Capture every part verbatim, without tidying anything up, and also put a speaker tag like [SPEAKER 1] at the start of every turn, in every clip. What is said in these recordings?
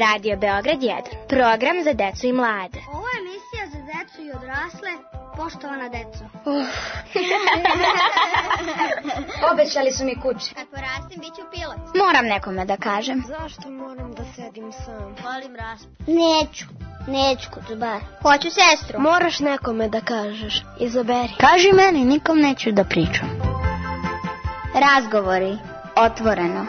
[SPEAKER 1] Radio Beograd jedan, program za decu i mlade.
[SPEAKER 2] Ovo je emisija za decu i odrasle, poštovana deco.
[SPEAKER 1] Uh.
[SPEAKER 2] Obećali su mi kuće.
[SPEAKER 3] Kad porastim, bit ću pilot.
[SPEAKER 1] Moram nekome da kažem.
[SPEAKER 2] Zašto moram da sedim sam?
[SPEAKER 3] Volim raspad.
[SPEAKER 2] Neću, neću kod bar.
[SPEAKER 3] Hoću sestru.
[SPEAKER 2] Moraš nekome da kažeš, izaberi.
[SPEAKER 1] Kaži meni, nikom neću da pričam. Razgovori, otvoreno.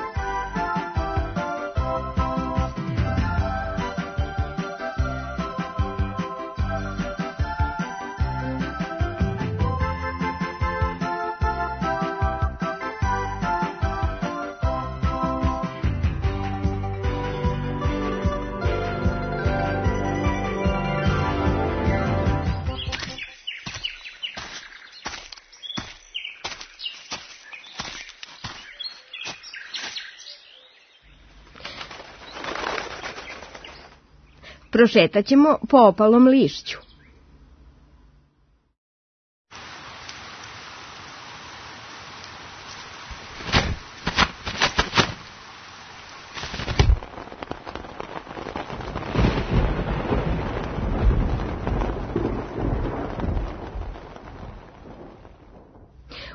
[SPEAKER 4] Prošetat ćemo po opalom lišću.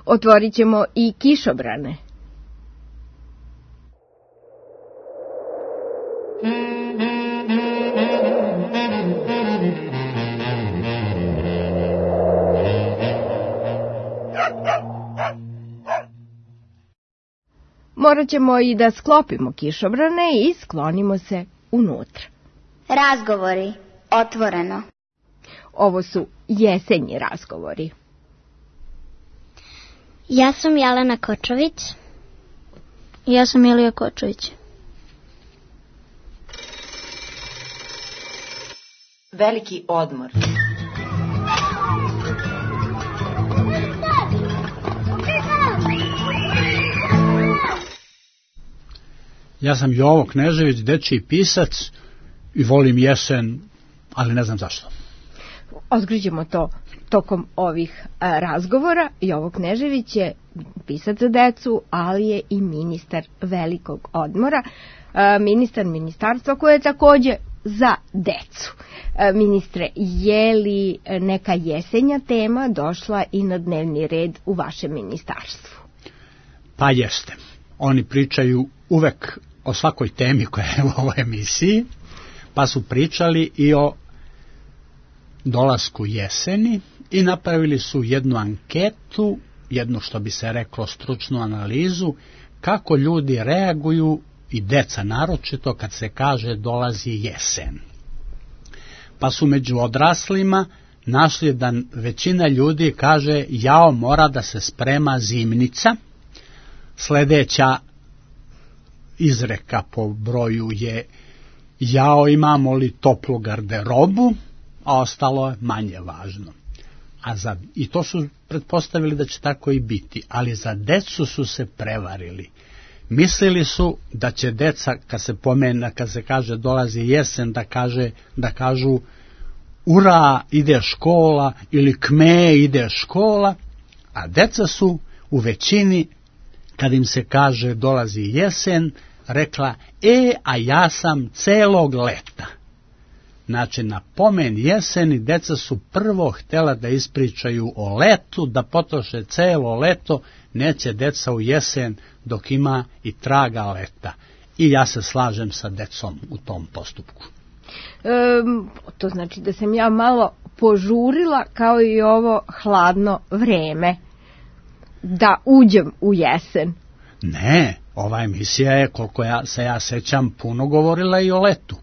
[SPEAKER 4] Otvorit ćemo i kišobrane. Morat ćemo i da sklopimo kišobrane i sklonimo se unutra.
[SPEAKER 1] Razgovori, otvoreno.
[SPEAKER 4] Ovo su jesenji razgovori.
[SPEAKER 2] Ja sam Jelena Kočović.
[SPEAKER 3] Ja sam Ilija Kočović.
[SPEAKER 5] Veliki odmor.
[SPEAKER 6] Ja sam Jovo Knežević, dečiji pisac i volim jesen, ali ne znam zašto.
[SPEAKER 4] Otkrićemo to tokom ovih a, razgovora. Jovo Knežević je pisac za decu, ali je i ministar velikog odmora. A, ministar ministarstva koje je takođe za decu. A, ministre, je li neka jesenja tema došla i na dnevni red u vašem ministarstvu?
[SPEAKER 6] Pa jeste. Oni pričaju uvek o svakoj temi koja je u ovoj emisiji, pa su pričali i o dolasku jeseni i napravili su jednu anketu, jednu što bi se reklo stručnu analizu, kako ljudi reaguju i deca naročito kad se kaže dolazi jesen. Pa su među odraslima našli da većina ljudi kaže jao, mora da se sprema zimnica. Sledeća izreka po broju je jao, imamo li toplu garderobu, a ostalo je manje važno. A za, i to su pretpostavili da će tako i biti, ali za decu su se prevarili. Mislili su da će deca, kad se pomena, kad se kaže dolazi jesen, da, kaže, da kažu ura, ide škola, ili kme, ide škola, a deca su u većini, kad im se kaže dolazi jesen, rekla, e, a ja sam celog leta. Znači, na pomen jeseni deca su prvo htjela da ispričaju o letu, da potroše celo leto, neće deca u jesen dok ima i traga leta. I ja se slažem sa decom u tom postupku.
[SPEAKER 4] E, to znači da sam ja malo požurila kao i ovo hladno vreme da uđem u jesen.
[SPEAKER 6] Ne, ova emisija je, koliko ja se ja sećam, puno govorila i o letu.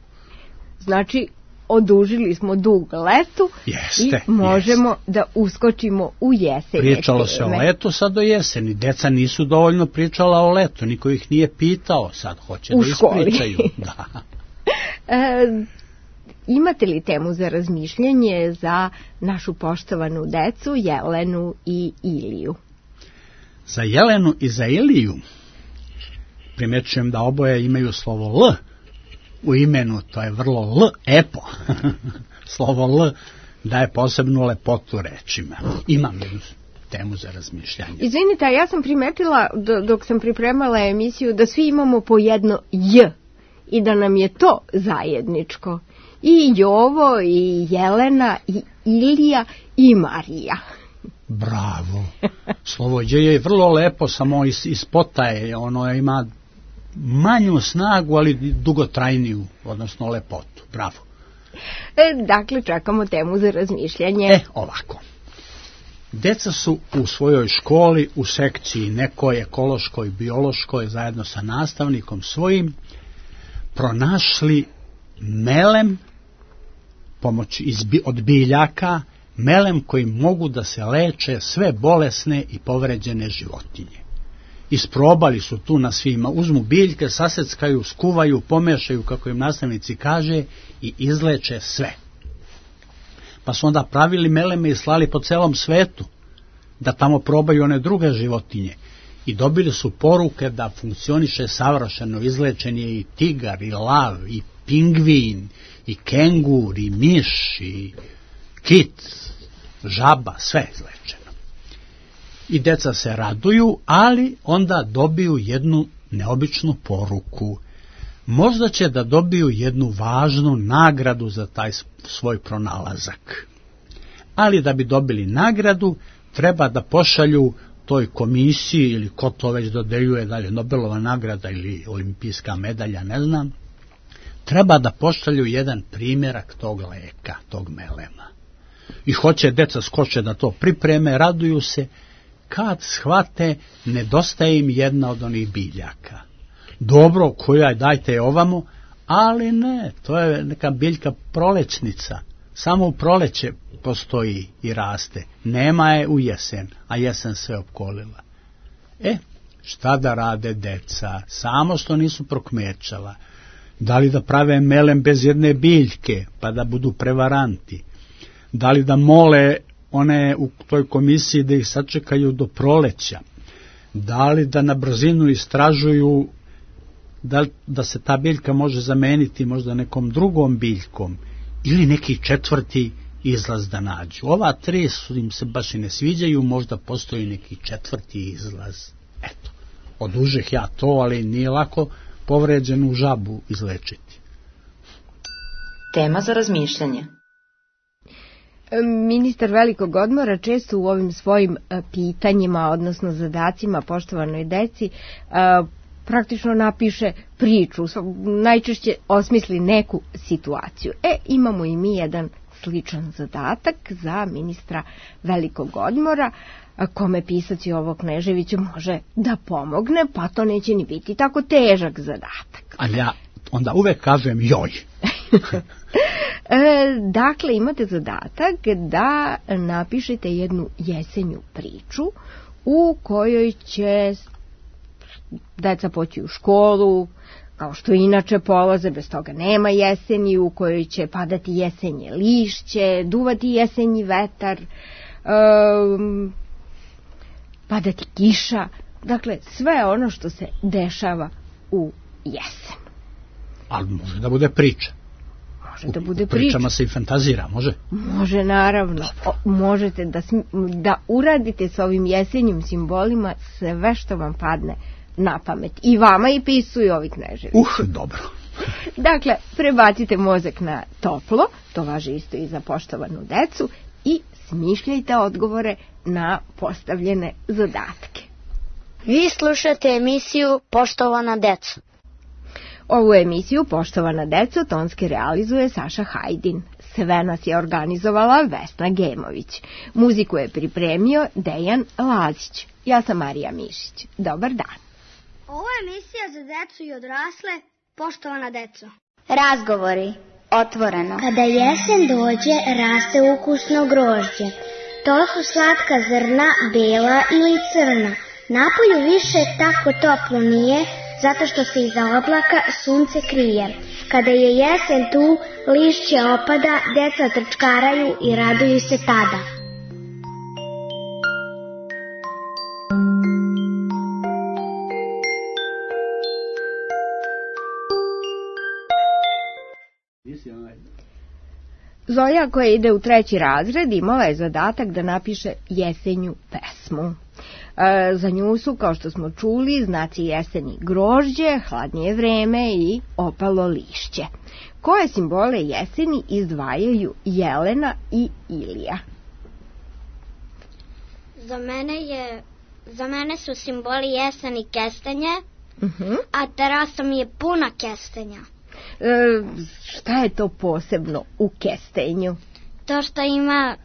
[SPEAKER 4] Znači, odužili smo dug letu.
[SPEAKER 6] Jeste,
[SPEAKER 4] i možemo
[SPEAKER 6] jeste.
[SPEAKER 4] Da uskočimo u jesen.
[SPEAKER 6] Pričalo se o letu, sad do jeseni. Deca nisu dovoljno pričala o letu, niko ih nije pitao, sad hoće
[SPEAKER 4] u
[SPEAKER 6] da ispričaju. Da.
[SPEAKER 4] e, imate li temu za razmišljanje za našu poštovanu decu, Jelenu i Iliju?
[SPEAKER 6] Za Jelenu i za Iliju primećujem da oboje imaju slovo L u imenu, to je vrlo L, epo. Slovo L daje posebnu lepotu rečima. Imam jednu temu za razmišljanje.
[SPEAKER 4] Izvinite, ja sam primetila dok sam pripremala emisiju da svi imamo po jedno J i da nam je to zajedničko. I Jovo, i Jelena, i Ilija, i Marija.
[SPEAKER 6] Bravo. Slovođe je vrlo lepo, samo iz, iz potaje, ono ima manju snagu, ali dugotrajniju, odnosno lepotu. Bravo.
[SPEAKER 4] E, dakle, čekamo temu za razmišljanje.
[SPEAKER 6] E, ovako. Deca su u svojoj školi, u sekciji nekoj ekološkoj, biološkoj, zajedno sa nastavnikom svojim, pronašli melem pomoć iz, od biljaka, melem koji mogu da se leče sve bolesne i povređene životinje. Isprobali su tu na svima, uzmu biljke, saseckaju, skuvaju, pomešaju, kako im nastavnici kaže, i izleče sve. Pa su onda pravili meleme i slali po celom svetu, da tamo probaju one druge životinje. I dobili su poruke da funkcioniše savršeno, izlečen je i tigar, i lav, i pingvin, i kengur, i miš, i kit, žaba, sve izlečeno. I deca se raduju, ali onda dobiju jednu neobičnu poruku. Možda će da dobiju jednu važnu nagradu za taj svoj pronalazak. Ali da bi dobili nagradu, treba da pošalju toj komisiji, ili ko to već dodeljuje, da li Nobelova nagrada ili olimpijska medalja, ne znam, treba da pošalju jedan primjerak tog leka, tog melema. I hoće deca skoče da to pripreme, raduju se, kad shvate, nedostaje im jedna od onih biljaka. Dobro, koja je, dajte je ovamo, ali ne, to je neka biljka prolećnica. Samo u proleće postoji i raste. Nema je u jesen, a jesen sve opkolila. E, šta da rade deca? Samo što nisu prokmećala. Da li da prave melem bez jedne biljke, pa da budu prevaranti? Da li da mole one u toj komisiji da ih sačekaju do proleća? Da li da na brzinu istražuju da, da se ta biljka može zameniti možda nekom drugom biljkom ili neki četvrti izlaz da nađu? Ova tri su im se baš i ne sviđaju, možda postoji neki četvrti izlaz. Eto, odužeh ja to, ali nije lako povređenu žabu izlečiti.
[SPEAKER 5] Tema za razmišljanje.
[SPEAKER 4] Ministar velikog odmora često u ovim svojim pitanjima, odnosno zadacima poštovanoj deci, praktično napiše priču, najčešće osmisli neku situaciju. E, imamo i mi jedan sličan zadatak za ministra velikog odmora, kome pisac Jovo Knežević može da pomogne, pa to neće ni biti tako težak zadatak.
[SPEAKER 6] Ali ja onda uvek kažem joj.
[SPEAKER 4] Dakle, imate zadatak da napišete jednu jesenju priču u kojoj će deca poći u školu, kao što inače polaze, bez toga nema jeseni, u kojoj će padati jesenje lišće, duvati jesenji vetar, um, padati kiša, dakle sve ono što se dešava u jesen.
[SPEAKER 6] Ali može da bude priča.
[SPEAKER 4] Može da bude
[SPEAKER 6] u
[SPEAKER 4] priča.
[SPEAKER 6] Pričama se i fantazira, može?
[SPEAKER 4] Može, naravno. O, možete da, da uradite s ovim jesenjim simbolima sve što vam padne na pamet. I vama i pisuju ovi Kneževići.
[SPEAKER 6] Uh, dobro.
[SPEAKER 4] Dakle, prebacite mozak na toplo, to važi isto i za poštovanu decu, i smišljajte odgovore na postavljene zadatke.
[SPEAKER 3] Vi slušate emisiju Poštovana deca.
[SPEAKER 4] Ovu emisiju Poštovana deco tonski realizuje Saša Hajdin. Sve nas je organizovala Vesna Gemović. Muziku je pripremio Dejan Lazić. Ja sam Marija Mišić. Dobar dan.
[SPEAKER 2] Ovo je emisija za decu i odrasle. Poštovana deco.
[SPEAKER 1] Razgovori. Otvoreno.
[SPEAKER 2] Kada jesen dođe, raste ukusno grožđe. Toliko slatka zrna, bela ili crna. Napolju više tako toplo nije, zato što se iza oblaka sunce krije. Kada je jesen tu, lišće opada, deca trčkaraju i raduju se tada.
[SPEAKER 4] Zoja, koja ide u treći razred, imala je zadatak da napiše jesenju pesmu. Za nju su, kao što smo čuli, znaci jeseni grožđe, hladnije vreme i opalo lišće. Koje simbole jeseni izdvajaju Jelena i Ilija?
[SPEAKER 2] Za mene je, za mene su simboli jeseni kestenje, uh-huh. a terasa mi je puna kestenja.
[SPEAKER 4] E, šta je to posebno u kestenju?
[SPEAKER 2] To što ima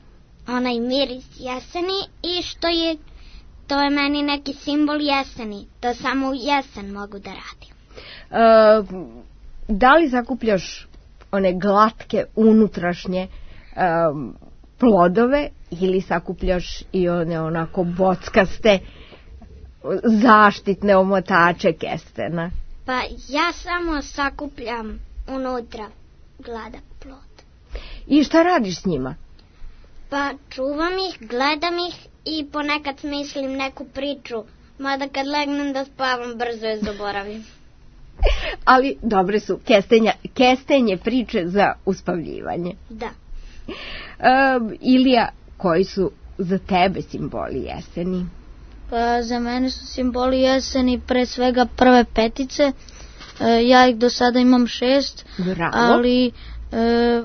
[SPEAKER 2] onaj miris jeseni i što je, to je meni neki simbol jeseni. To samo u jesen mogu da radim.
[SPEAKER 4] E, da li zakupljaš one glatke unutrašnje um, plodove ili sakupljaš i one onako bockaste zaštitne omotače kestena?
[SPEAKER 2] Pa ja samo sakupljam unutra gladak plod.
[SPEAKER 4] I šta radiš s njima?
[SPEAKER 2] Pa čuvam ih, gledam ih i ponekad smislim neku priču, mada kad legnem da spavam brzo je zaboravim.
[SPEAKER 4] Ali dobre su kestenja, kestenje priče za uspavljivanje.
[SPEAKER 2] Da.
[SPEAKER 4] Um, Ilija, koji su za tebe simboli jeseni?
[SPEAKER 7] Pa za mene su simboli jeseni pre svega prve petice. E, ja ih do sada imam šest.
[SPEAKER 4] Bravo.
[SPEAKER 7] Ali e,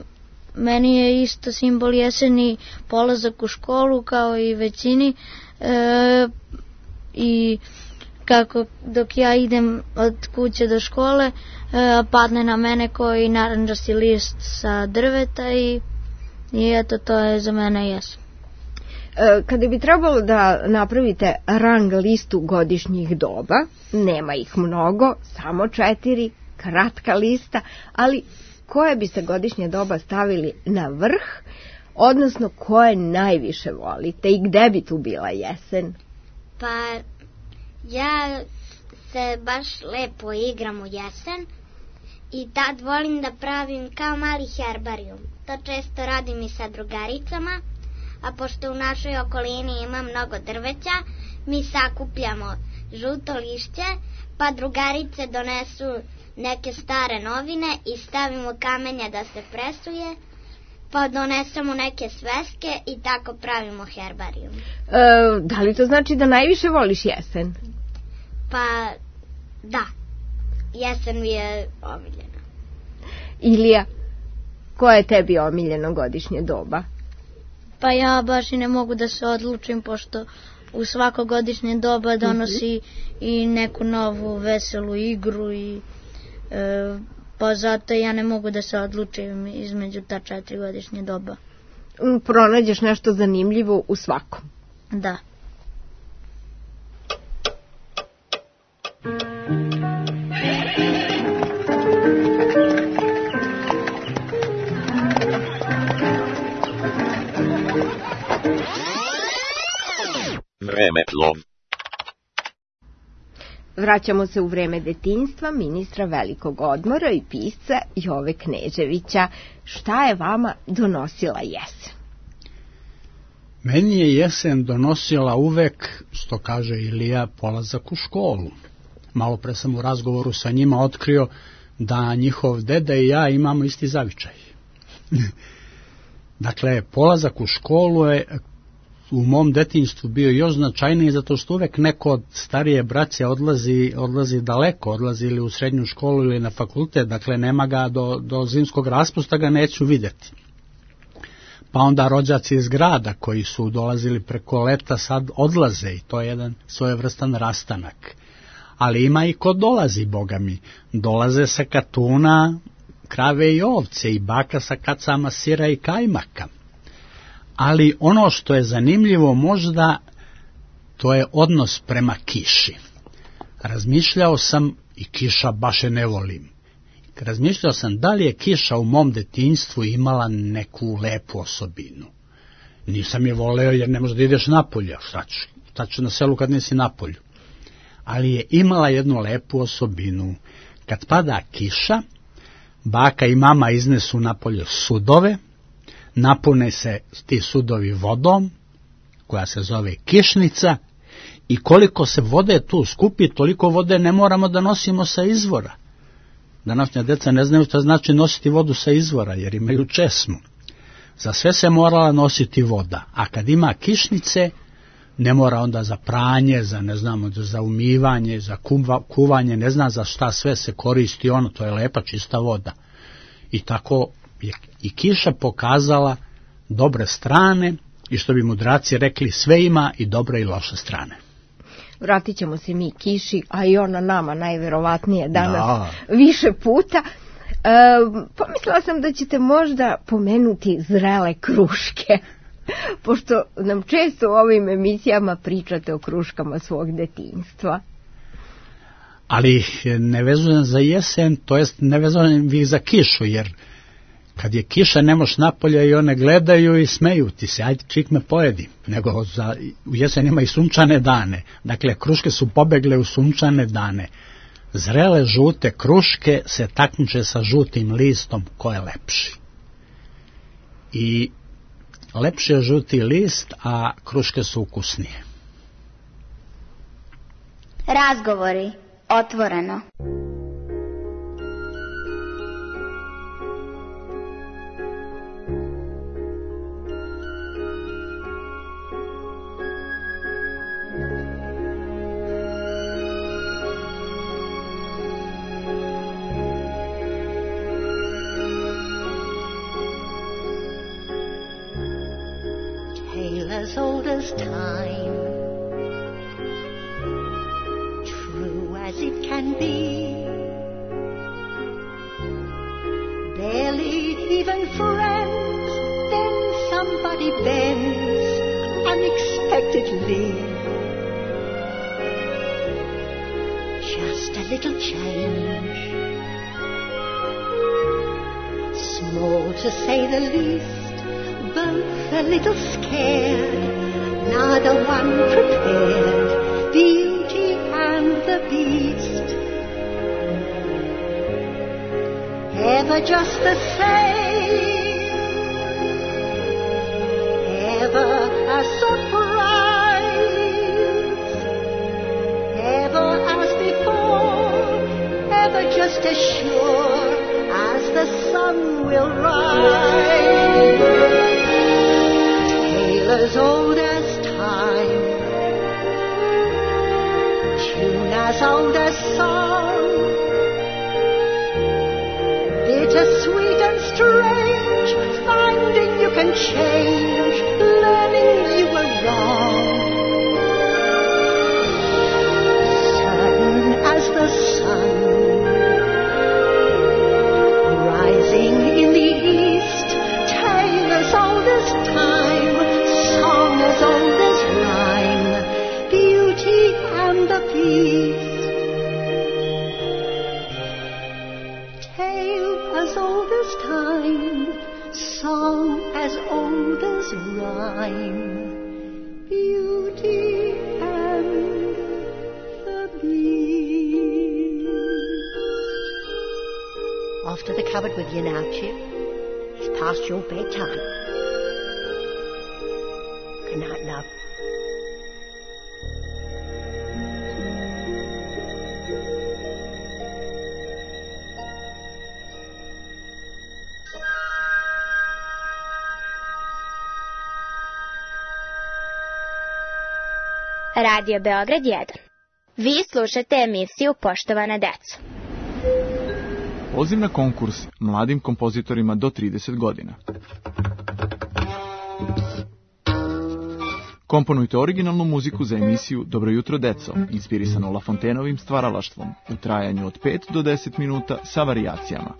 [SPEAKER 7] meni je isto simbol jeseni polazak u školu kao i većini. E, I kako dok ja idem od kuće do škole, e, padne na mene koji narandžasti list sa drveta i, i eto to je za mene jesen.
[SPEAKER 4] Kada bi trebalo da napravite rang listu godišnjih doba, nema ih mnogo, samo četiri, kratka lista, ali koje biste godišnje doba stavili na vrh, odnosno koje najviše volite i gde bi tu bila jesen?
[SPEAKER 2] Pa ja se baš lepo igram u jesen i tad volim da pravim kao mali herbarijum. To često radim i sa drugaricama. A pošto u našoj okolini ima mnogo drveća, mi sakupljamo žuto lišće, pa drugarice donesu neke stare novine i stavimo kamenja da se presuje, pa donesemo neke sveske i tako pravimo herbarijum.
[SPEAKER 4] E, da li to znači da najviše voliš jesen?
[SPEAKER 2] Pa da, jesen mi je omiljena.
[SPEAKER 7] Ilija, koje je tebi omiljeno godišnje doba?
[SPEAKER 2] Pa ja baš i ne mogu da se odlučim, pošto u svako godišnje doba donosi mm-hmm. i neku novu veselu igru i e, pa zato ja ne mogu da se odlučim između ta četiri godišnje doba.
[SPEAKER 4] Pronađeš nešto zanimljivo u svakom.
[SPEAKER 2] Da.
[SPEAKER 8] Vremeplov.
[SPEAKER 4] Vraćamo se u vreme detinjstva ministra velikog odmora i pisca Jove Kneževića. Šta je vama donosila jesen?
[SPEAKER 6] Meni je jesen donosila uvek, što kaže Ilija, polazak u školu. Malo pre sam u razgovoru sa njima otkrio da njihov deda i ja imamo isti zavičaj. Dakle, polazak u školu je u mom detinjstvu bio još značajniji zato što uvek neko od starije braće odlazi, odlazi daleko, odlazi ili u srednju školu ili na fakultet, dakle nema ga do, do zimskog raspusta, ga neću vidjeti. Pa onda rođaci iz grada koji su dolazili preko leta sad odlaze i to je jedan svojevrstan rastanak. Ali ima i ko dolazi, boga mi. Dolaze sa katuna, krave i ovce i baka sa kacama sira i kajmaka. Ali ono što je zanimljivo možda, to je odnos prema kiši. Razmišljao sam, i kiša baš je ne volim, razmišljao sam da li je kiša u mom detinjstvu imala neku lepu osobinu. Nisam je voleo jer ne možeš da ideš napolje, šta ću, šta ću na selu kad nisi napolju. Ali je imala jednu lepu osobinu. Kad pada kiša, baka i mama iznesu napolje sudove, napune se ti sudovi vodom, koja se zove kišnica, i koliko se vode tu skupi, toliko vode ne moramo da nosimo sa izvora. Današnja deca ne znaju šta znači nositi vodu sa izvora, jer imaju česmu. Za sve se morala nositi voda, a kad ima kišnice, ne mora onda za pranje, za ne znamo, za umivanje, za kuva, kuvanje, ne zna za šta sve se koristi ono, to je lepa čista voda. I tako je i kiša pokazala dobre strane i što bi mudraci rekli, sve ima i dobre i loše strane.
[SPEAKER 4] Vratit ćemo se mi kiši, a i ona nama najverovatnije danas
[SPEAKER 6] da.
[SPEAKER 4] više puta. E, pomislila sam da ćete možda pomenuti zrele kruške, pošto nam često u ovim emisijama pričate o kruškama svog detinjstva.
[SPEAKER 6] Ali ne vezujem za jesen, to jest ne vezujem ih za kišu, jer kad je kiša ne moš napolje i one gledaju i smeju ti se, ajde čik me pojedi, nego za, u jesen ima i sunčane dane, dakle kruške su pobegle u sunčane dane. Zrele žute kruške se takmiče sa žutim listom ko je lepši. I lepši je žuti list, a kruške su ukusnije.
[SPEAKER 1] Razgovori otvoreno.
[SPEAKER 8] As old as time, true as it can be, barely even friends, then somebody bends unexpectedly. Just a little change, small to say the least, both a little scared, neither one prepared, Beauty and the Beast. Ever just the same, ever a surprise, ever as before, ever just as sure as the sun will rise. As old as time, tune as old as song, bittersweet and strange, finding you can change, learning you were wrong. Certain as the sun, rising in the east, tale as old as time, as old as rhyme, Beauty and the Beast. Tale as old as time, song as old as rhyme, Beauty and the Beast. Off to the cupboard with you now, Chip. It's past your bedtime. Good night, love.
[SPEAKER 1] Radio Beograd jedan. Vi slušate emisiju Poštovana deco.
[SPEAKER 9] Poziv na konkurs mladim kompozitorima do trideset godina. Komponujte originalnu muziku za emisiju Dobro jutro deco, inspirisanu Lafontenovim stvaralaštvom, u trajanju od pet do deset minuta sa varijacijama.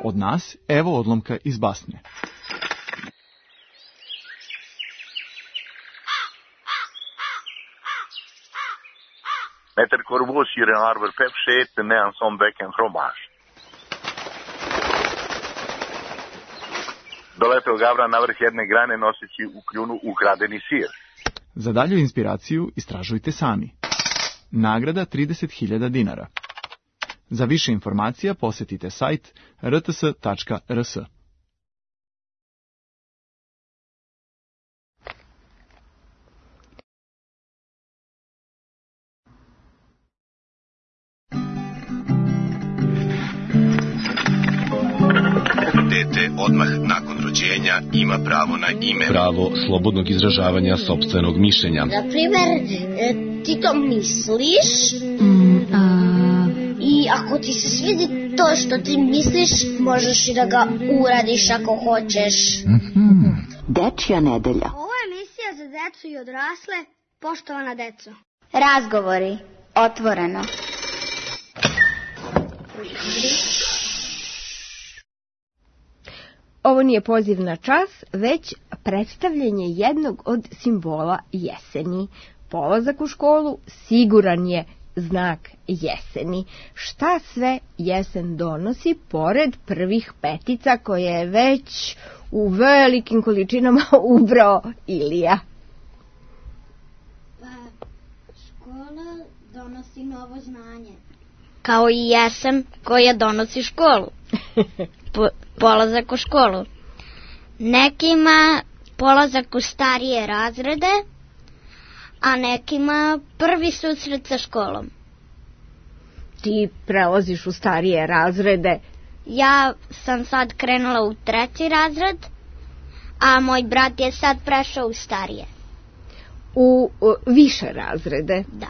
[SPEAKER 9] Od nas, evo odlomka iz basne.
[SPEAKER 10] Met het corbeau hier in Arbor Pep zit en en zo'n bek en fromage. Doleteo Gavra na vrh jedne grane noseći u kljunu ukradeni sir.
[SPEAKER 9] Za dalju inspiraciju istražujte sami. Nagrada trideset hiljada dinara. Za više informacija posjetite sajt r t s tačka r s.
[SPEAKER 11] dete odmah nakon rođenja ima pravo na ime. Pravo slobodnog izražavanja sopstvenog mišljenja.
[SPEAKER 2] Na primer, ti to misliš mm, a... i ako ti se svidi to što ti misliš, možeš i da ga uradiš ako hoćeš.
[SPEAKER 12] Mm-hmm. Dečja nedelja.
[SPEAKER 2] Ovo je emisija za decu i odrasle, poštovana deco.
[SPEAKER 1] Razgovori, otvoreno.
[SPEAKER 4] Ovo nije poziv na čas, već predstavljanje jednog od simbola jeseni. Polazak u školu siguran je znak jeseni. Šta sve jesen donosi, pored prvih petica koje je već u velikim količinama ubrao Ilija?
[SPEAKER 2] Pa, škola donosi novo znanje.
[SPEAKER 7] Kao i jesen koja donosi školu. Po, polazak u školu. Nekima polazak u starije razrede, a nekima prvi susret sa školom.
[SPEAKER 4] Ti prelaziš u starije razrede?
[SPEAKER 7] Ja sam sad krenula u treći razred, a moj brat je sad prešao u starije.
[SPEAKER 4] U, u više razrede?
[SPEAKER 7] Da.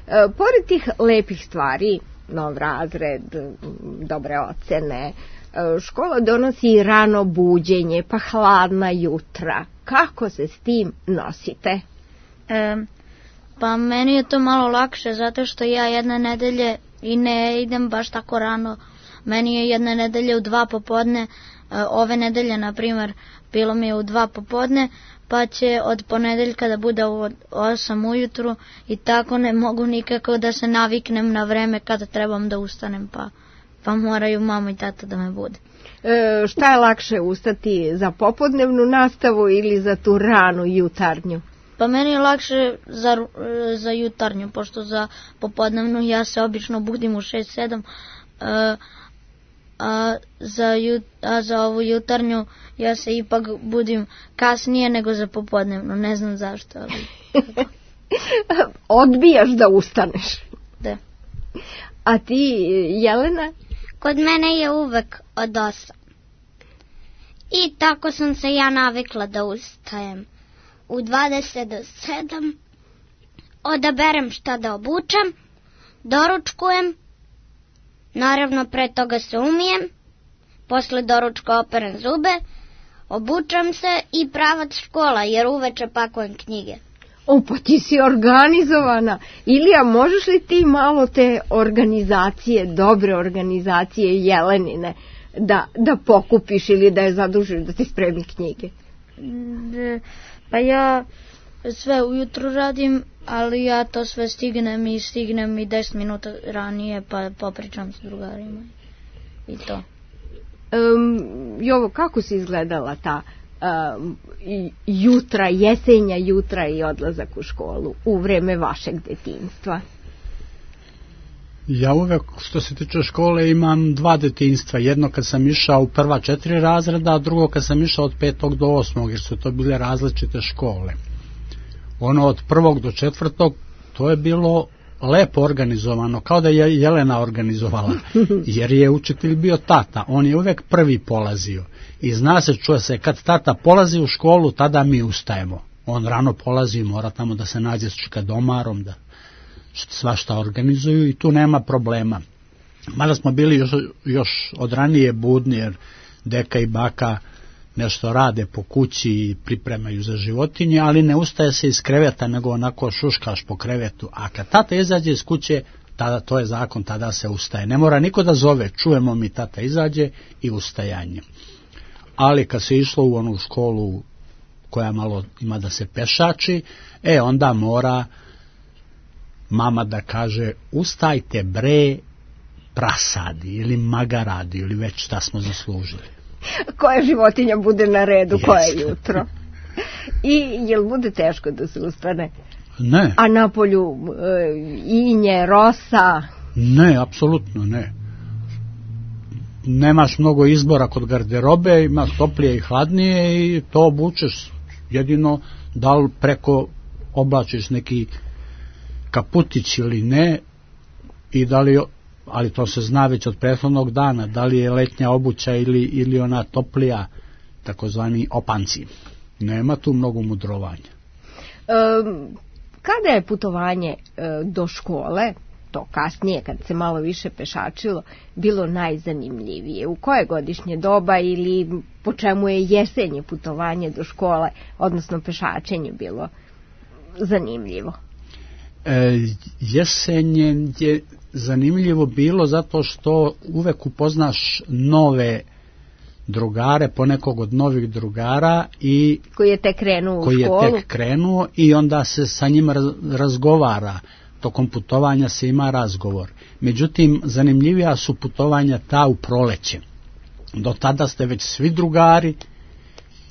[SPEAKER 4] E, pored tih lepih stvari, nov razred, dobre ocene, škola donosi rano buđenje, pa hladna jutra. Kako se s tim nosite?
[SPEAKER 7] E, pa meni je to malo lakše, zato što ja jedne nedelje i ne idem baš tako rano. Meni je jedne nedelje u dva popodne, ove nedelje, na primjer, bilo mi je u dva popodne, pa će od ponedeljka da bude u osam ujutru i tako ne mogu nikako da se naviknem na vreme kada trebam da ustanem, pa, pa moraju mama i tata da me bude.
[SPEAKER 4] E, šta je lakše, ustati za popodnevnu nastavu ili za tu ranu jutarnju?
[SPEAKER 7] Pa meni je lakše za, za jutarnju, pošto za popodnevnu ja se obično budim u šest sedam, a, a, za jut, a za ovu jutarnju ja se ipak budim kasnije nego za popodnevnu, ne znam zašto. Ali...
[SPEAKER 4] Odbijaš da ustaneš.
[SPEAKER 7] Da.
[SPEAKER 4] A ti, Jelena?
[SPEAKER 2] Kod mene je uvek od osam. I tako sam se ja navikla da ustajem. U dvadeset do sedam odaberem šta da obučem, doručkujem, naravno pre toga se umijem, posle doručka operem zube, obučem se i pravac škola, jer uveče pakujem knjige.
[SPEAKER 4] O, pa ti si organizovana. Ilija, možeš li ti malo te organizacije, dobre organizacije Jelenine, da, da pokupiš ili da je zadužiš da ti spremi knjige?
[SPEAKER 7] De, pa ja sve ujutru radim, ali ja to sve stignem i stignem i deset minuta ranije, pa popričam s drugarima i to.
[SPEAKER 4] Um, Jovo, kako si izgledala ta um, jutra, jesenja jutra i odlazak u školu u vreme vašeg detinjstva?
[SPEAKER 6] Ja uvek, što se tiče škole, imam dva detinjstva. Jedno kad sam išao u prva četiri razreda, a drugo kad sam išao od petog do osmog, jer su to bile različite škole. Ono od prvog do četvrtog, to je bilo lepo organizovano, kao da je Jelena organizovala, jer je učitelj bio tata, on je uvek prvi polazio. I zna se, čuje se, kad tata polazi u školu, tada mi ustajemo. On rano polazi, mora tamo da se nađe s čikadomarom, da svašta organizuju i tu nema problema. Mada smo bili još, još od ranije budni, jer deka i baka nešto rade po kući i pripremaju za životinje, ali ne ustaje se iz kreveta, nego onako šuškaš po krevetu. A kad tata izađe iz kuće, tada to je zakon, tada se ustaje. Ne mora niko da zove, čujemo mi tata izađe i ustajanje. Ali kad se išlo u onu školu koja malo ima da se pešači, e onda mora mama da kaže ustajte bre prasadi ili magaradi ili već šta smo zaslužili.
[SPEAKER 4] Koja životinja bude na redu, yes. Koje jutro. I jel bude teško da se ustane?
[SPEAKER 6] Ne.
[SPEAKER 4] A napolju e, inje, rosa?
[SPEAKER 6] Ne, apsolutno ne. Nemaš mnogo izbora kod garderobe, imaš toplije i hladnije i to obučeš. Jedino da li preko oblačiš neki kaputić ili ne i da li ali to se zna već od prethodnog dana, da li je letnja obuća ili, ili ona toplija, takozvani opanci. Nema tu mnogo mudrovanja.
[SPEAKER 4] Um, kada je putovanje uh, do škole, to kasnije kad se malo više pešačilo, bilo najzanimljivije? U koje godišnje doba ili po čemu je jesenje putovanje do škole, odnosno pešačenje, bilo zanimljivo?
[SPEAKER 6] E, jesenje je zanimljivo bilo zato što uvek upoznaš nove drugare, ponekog od novih drugara i
[SPEAKER 4] koji je tek krenuo u
[SPEAKER 6] koji
[SPEAKER 4] školu.
[SPEAKER 6] je tek krenuo i onda se sa njima razgovara. Tokom putovanja se ima razgovor. Međutim, zanimljivija su putovanja ta u proleće. Do tada ste već svi drugari,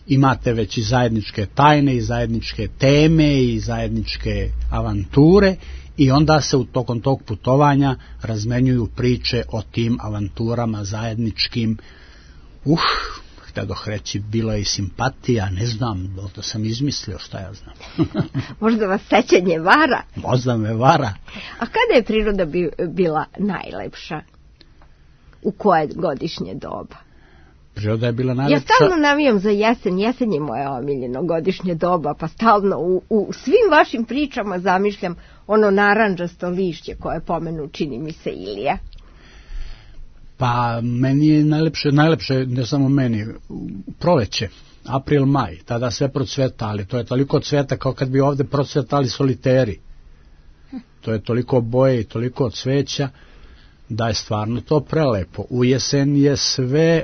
[SPEAKER 6] imate već i zajedničke tajne, i zajedničke teme, i zajedničke avanture, i onda se u tokom tog putovanja razmenjuju priče o tim avanturama zajedničkim. Uh, htedoh reći, bilo je i simpatija, ne znam, to sam izmislio, šta ja znam.
[SPEAKER 4] Možda vas sećanje vara?
[SPEAKER 6] Možda me vara.
[SPEAKER 4] A kada je priroda bi, bila najlepša? U koje godišnje doba?
[SPEAKER 6] Priroda je bila najlepša.
[SPEAKER 4] Ja stalno navijam za jesen, jesen je moje omiljeno godišnje doba, pa stalno u, u svim vašim pričama zamišljam ono narandžasto lišće koje pomenu, čini mi se, Ilija.
[SPEAKER 6] Pa meni je najlepše, najlepše, ne samo meni, proleće, april, maj, tada sve procveta, ali to je toliko cveta kao kad bi ovde procvetali soliteri. To je toliko boje i toliko cveća da je stvarno to prelepo. U jesen je sve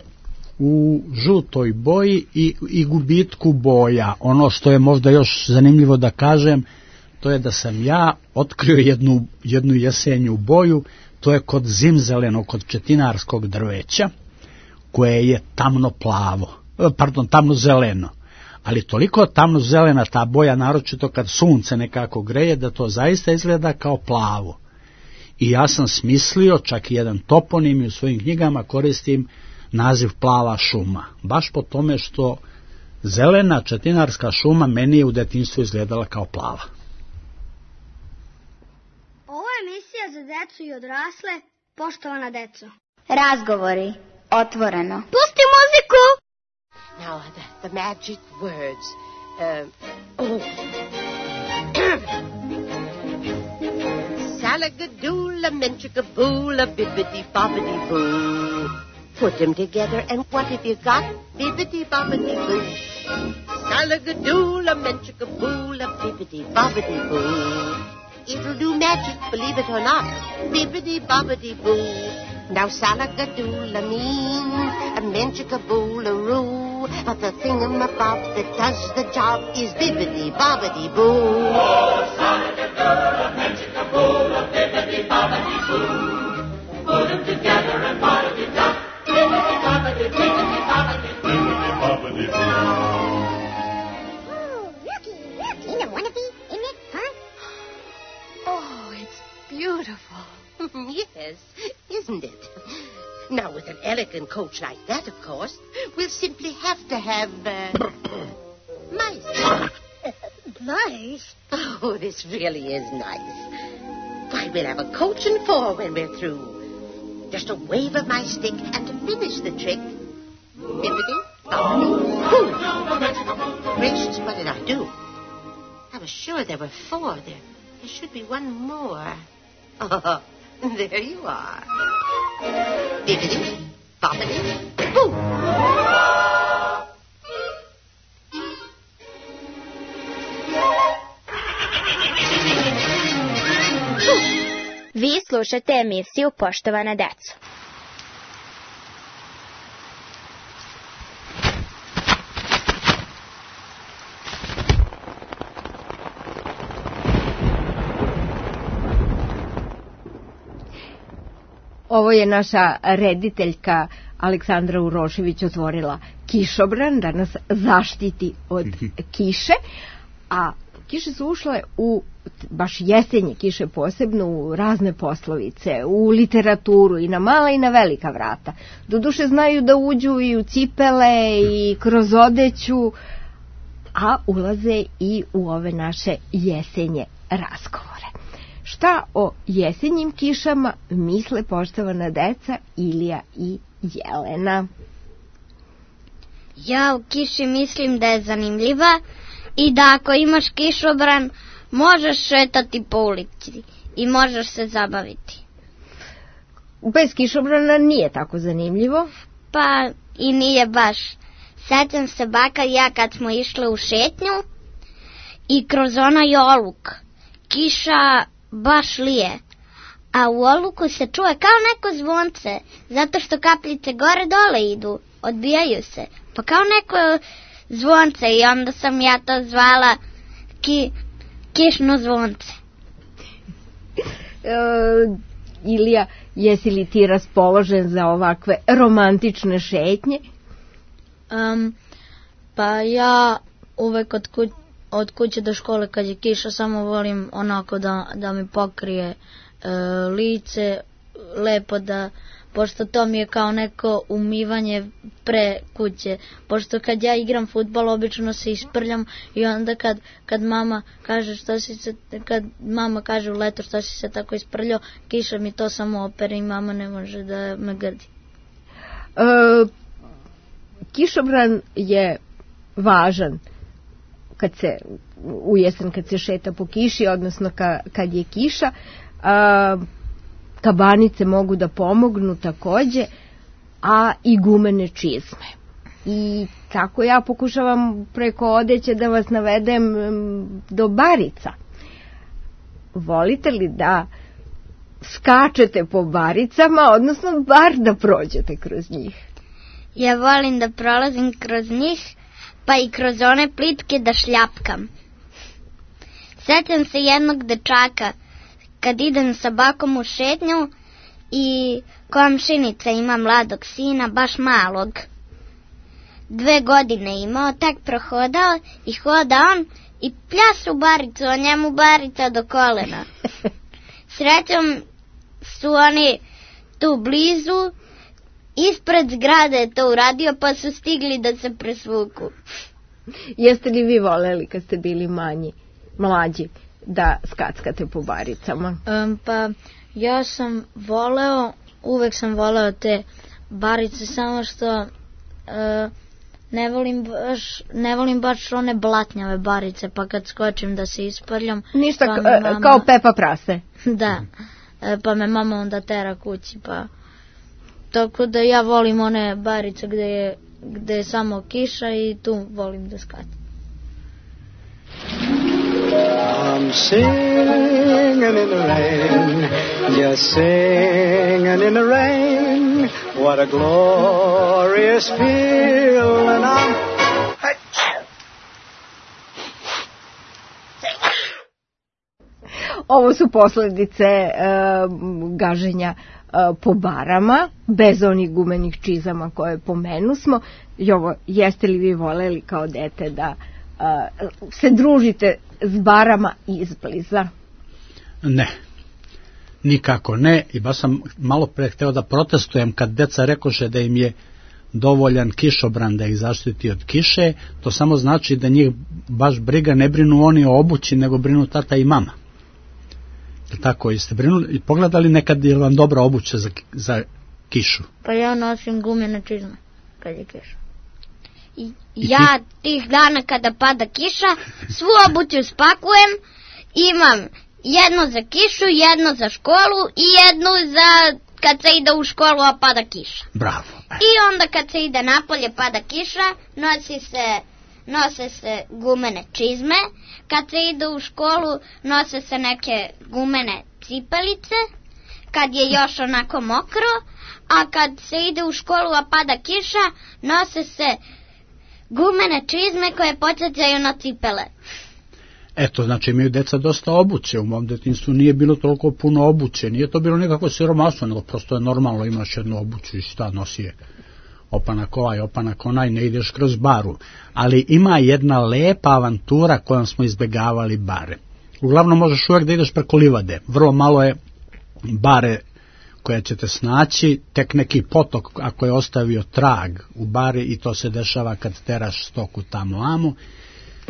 [SPEAKER 6] u žutoj boji i, i gubitku boja. Ono što je možda još zanimljivo da kažem, to je da sam ja otkrio jednu, jednu jesenju boju. To je kod zimzeleno, kod četinarskog drveća, koje je tamno plavo, pardon, tamno zeleno. Ali toliko tamno zelena ta boja, naročito kad sunce nekako greje, da to zaista izgleda kao plavo. I ja sam smislio, čak i jedan toponim i u svojim knjigama koristim naziv plava šuma. Baš po tome što zelena četinarska šuma meni je u detinjstvu izgledala kao plava.
[SPEAKER 2] Emisija za decu i odrasle, poštovana deco.
[SPEAKER 1] Razgovori, otvoreno.
[SPEAKER 2] Pusti muziku!
[SPEAKER 13] Now the, the magic words. Uh, oh. Salagadoola, menchikaboola, bibbidi bobbidi boo. Put them together and what have you got? Bibbidi bobbidi boo. Salagadoola, menchikaboola, bibbidi bobbidi boo. It'll do magic, believe it or not. Bibbidi-bobbidi-boo. Now salagadoola means a menchikaboola-roo. But the thingamabob that does the job is bibbidi-bobbidi-boo.
[SPEAKER 14] Oh, salagadoola, menchikaboola, bibbidi-bobbidi-boo. Put them together and what have you got? Bibbidi-bobbidi, bibbidi-bobbidi, bibbidi-bobbidi-boo.
[SPEAKER 2] Oh, looky, look, in the wannabe, isn't it fun?
[SPEAKER 13] Oh, it's beautiful. Yes, isn't it? Now, with an elegant coach like that, of course, we'll simply have to have, uh, mice.
[SPEAKER 2] Nice?
[SPEAKER 13] Oh, this really is nice. Why, we'll have a coach and four when we're through. Just a wave of my stick, and to finish the trick, bibbidi, bobbidi, boo. Gracious, what did I do? I was sure there were four there. There should be one more. Oh, there you are. Bibbidi, bobbidi, boo.
[SPEAKER 1] Vi slušate emisiju Poštovana deco.
[SPEAKER 4] Ovo je naša rediteljka Aleksandra Urošević otvorila kišobran da nas zaštiti od kiše, a kiše su ušle u baš jesenje kiše posebno u razne poslovice, u literaturu i na mala i na velika vrata. Doduše znaju da uđu i u cipele i kroz odeću, a ulaze i u ove naše jesenje razgovore. Šta o jesenjim kišama misle poštovana deca Ilija i Jelena?
[SPEAKER 2] Ja u kiši mislim da je zanimljiva i da ako imaš kišobran možeš šetati po ulici i možeš se zabaviti.
[SPEAKER 4] Bez kišobrana nije tako zanimljivo.
[SPEAKER 2] Pa i nije baš. Sećam se baka i ja kad smo išle u šetnju i kroz onaj oluk kiša baš lije, a u oluku se čuje kao neko zvonce, zato što kapljice gore dole idu, odbijaju se, pa kao neko zvonce i onda sam ja to zvala ki, kišno zvonce.
[SPEAKER 4] E, Ilija, jesi li ti raspoložen za ovakve romantične šetnje?
[SPEAKER 7] Um, pa ja uvek od, kuć, od kuće do škole kad je kiša samo volim onako da, da mi pokrije e, lice, lepo da, pošto to mi je kao neko umivanje pre kuće, pošto kad ja igram fudbal obično se isprljam i onda kad, kad mama kaže što si se, kad mama kaže u leto što si se tako isprljao, kiša mi to samo opere i mama ne može da me grdi.
[SPEAKER 4] E, kišobran je važan kad se u jesen kad se šeta po kiši, odnosno ka, kad je kiša. A, kabanice mogu da pomognu takođe, a i gumene čizme. I tako ja pokušavam preko odeće da vas navedem do barica. Volite li da skačete po baricama, odnosno bar da prođete kroz njih?
[SPEAKER 2] Ja volim da prolazim kroz njih, pa i kroz one plitke da šljapkam. Sećam se jednog dečaka kad idem sa bakom u šetnju i komšinica ima mladog sina, baš malog. Dve godine imao, tak prohodao i hoda on i pljas u baricu, a njemu barica do kolena. Srećom su oni tu blizu, ispred zgrade je to uradio, pa su stigli da se presvuku.
[SPEAKER 4] Jeste li vi voleli kad ste bili manji, mlađi, da skackate po baricama?
[SPEAKER 7] Um, pa ja sam voleo, uvek sam voleo te barice, samo što uh, ne volim baš, ne volim baš one blatnjave barice, pa kad skočim da se isprljam.
[SPEAKER 4] Ništa
[SPEAKER 7] pa
[SPEAKER 4] k-
[SPEAKER 7] mama,
[SPEAKER 4] kao Pepa Prase.
[SPEAKER 7] Da, pa me mama onda tera kući, pa tako da ja volim one barice gde je, gde je samo kiša i tu volim da skačem.
[SPEAKER 15] I'm singing in the rain, just singing in the rain. What a glorious feeling. I'm
[SPEAKER 4] Ovo su posledice uh, gaženja uh, po barama, bez onih gumenih čizama koje pomenusmo. I ovo, jeste li vi voleli kao dete da uh, se družite s barama izbliza?
[SPEAKER 6] Ne, nikako ne. I baš sam malo pre hteo da protestujem kad deca rekoše da im je dovoljan kišobran da ih zaštiti od kiše. To samo znači da njih baš briga, ne brinu oni o obući, nego brinu tata i mama. Tako, jeste brinuli i pogledali nekad je vam dobra obuća za, za kišu?
[SPEAKER 7] Pa ja nosim gumene čizme kad je kiša.
[SPEAKER 2] I, ja tih dana kada pada kiša svu obuću spakujem, imam jedno za kišu, jedno za školu i jednu za kad se ide u školu a pada kiša.
[SPEAKER 6] Bravo.
[SPEAKER 2] I onda kad se ide napolje pada kiša, nosi se nose se gumene čizme, kad se ide u školu nose se neke gumene cipelice, kad je još onako mokro, a kad se ide u školu a pada kiša, nose se gumene čizme koje podsjećaju na cipele.
[SPEAKER 6] Eto, znači imaju deca dosta obuće, u mom detinjstvu nije bilo toliko puno obuće, nije to bilo nekako siromaštvo, nego prosto je normalno, imaš jednu obuću i šta nosi je opanak ovaj, opanak onaj, ne ideš kroz baru. Ali ima jedna lepa avantura kojom smo izbegavali bare. Uglavnom možeš uvek da ideš preko livade, vrlo malo je bare koje ćete snaći, tek neki potok ako je ostavio trag u bari i to se dešava kad teraš stoku tamo amo.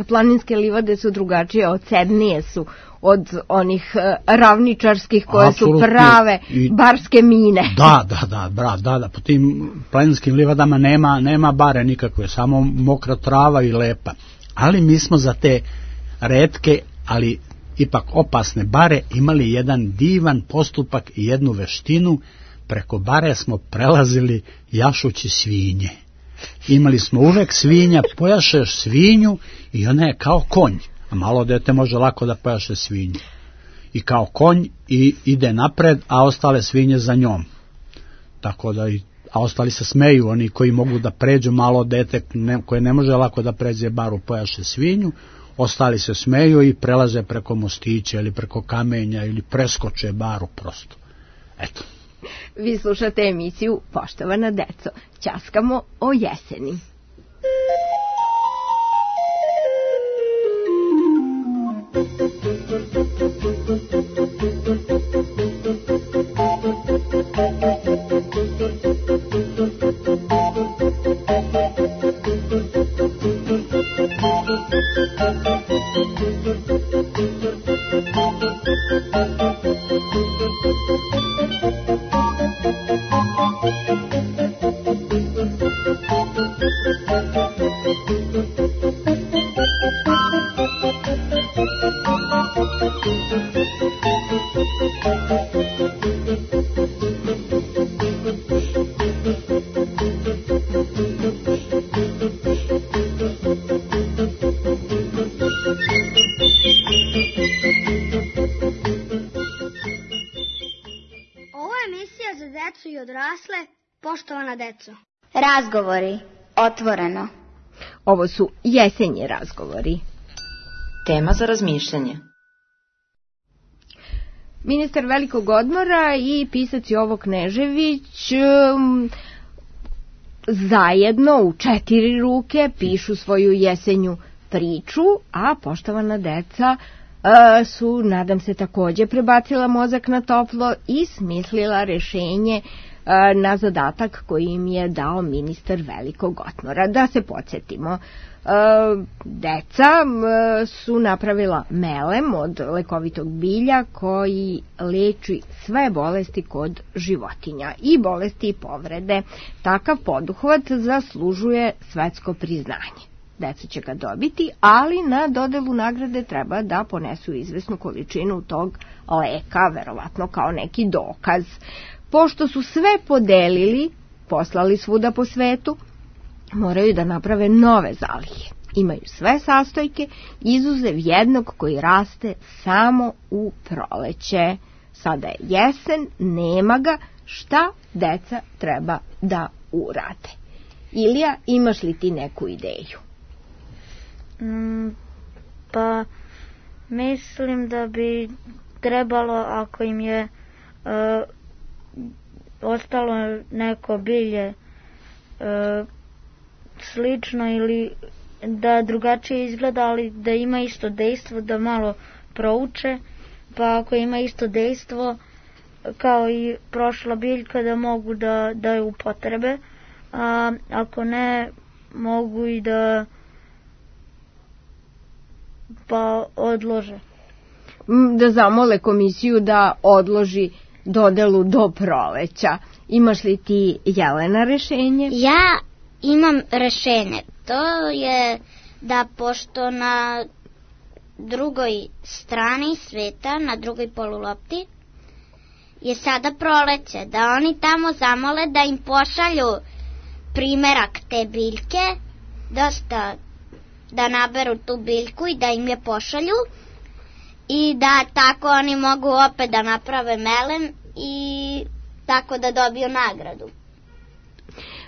[SPEAKER 4] planinske livade su drugačije, odsednije su od onih ravničarskih koje Absolutno. Su prave I, barske mine.
[SPEAKER 6] Da, da, da, bra, da, da, po tim planinskim livadama nema, nema bare nikakve, samo mokra trava i lepa. Ali mi smo za te retke, ali ipak opasne bare imali jedan divan postupak i jednu veštinu. Preko bare smo prelazili jašući svinje. Imali smo uvek svinja, pojašeš svinju i ona je kao konj. A malo dete može lako da pojaše svinju. I kao konj i ide napred, a ostale svinje za njom. Tako da i, a ostali se smeju, oni koji mogu da pređu, malo dete ne, koje ne može lako da pređe baru, pojaše svinju, ostali se smeju i prelaze preko mostića ili preko kamenja ili preskoče baru prosto. Eto.
[SPEAKER 4] Vi slušate emisiju Poštovana deco. Ćaskamo o jeseni.
[SPEAKER 2] Poštovana deco.
[SPEAKER 1] Razgovori. Otvoreno.
[SPEAKER 4] Ovo su jesenji razgovori.
[SPEAKER 5] Tema za razmišljanje.
[SPEAKER 4] Ministar velikog odmora i pisac Jovo Knežević um, zajedno u četiri ruke pišu svoju jesenju priču, a poštovana deca uh, su, nadam se, takođe prebacila mozak na toplo i smislila rešenje na zadatak koji im je dao ministar velikog odmora. Da se podsjetimo, deca su napravila melem od lekovitog bilja koji leči sve bolesti kod životinja i bolesti i povrede. Takav poduhvat zaslužuje svetsko priznanje. Deca će ga dobiti, ali na dodelu nagrade treba da ponesu izvesnu količinu tog leka, verovatno kao neki dokaz. Pošto su sve podelili, poslali svuda po svetu, moraju da naprave nove zalihe. Imaju sve sastojke, izuzev jednog koji raste samo u proleće. Sada je jesen, nema ga, šta deca treba da urade? Ilija, imaš li ti neku ideju?
[SPEAKER 7] Mm, pa, mislim da bi trebalo, ako im je Uh, ostalo neko bilje e, slično ili da drugačije izgleda, ali da ima isto dejstvo, da malo prouče, pa ako ima isto dejstvo kao i prošla biljka, da mogu da, da je upotrebe, a ako ne, mogu i da pa odlože.
[SPEAKER 4] Da zamole komisiju da odloži dodelu do proleća. Imaš li ti, Jelena, rešenje?
[SPEAKER 2] Ja imam rešenje. To je da pošto na drugoj strani sveta, na drugoj polulopti, je sada proleće, da oni tamo zamole da im pošalju primerak te biljke, dosta da naberu tu biljku i da im je pošalju, i da tako oni mogu opet da naprave melem i tako da dobiju nagradu.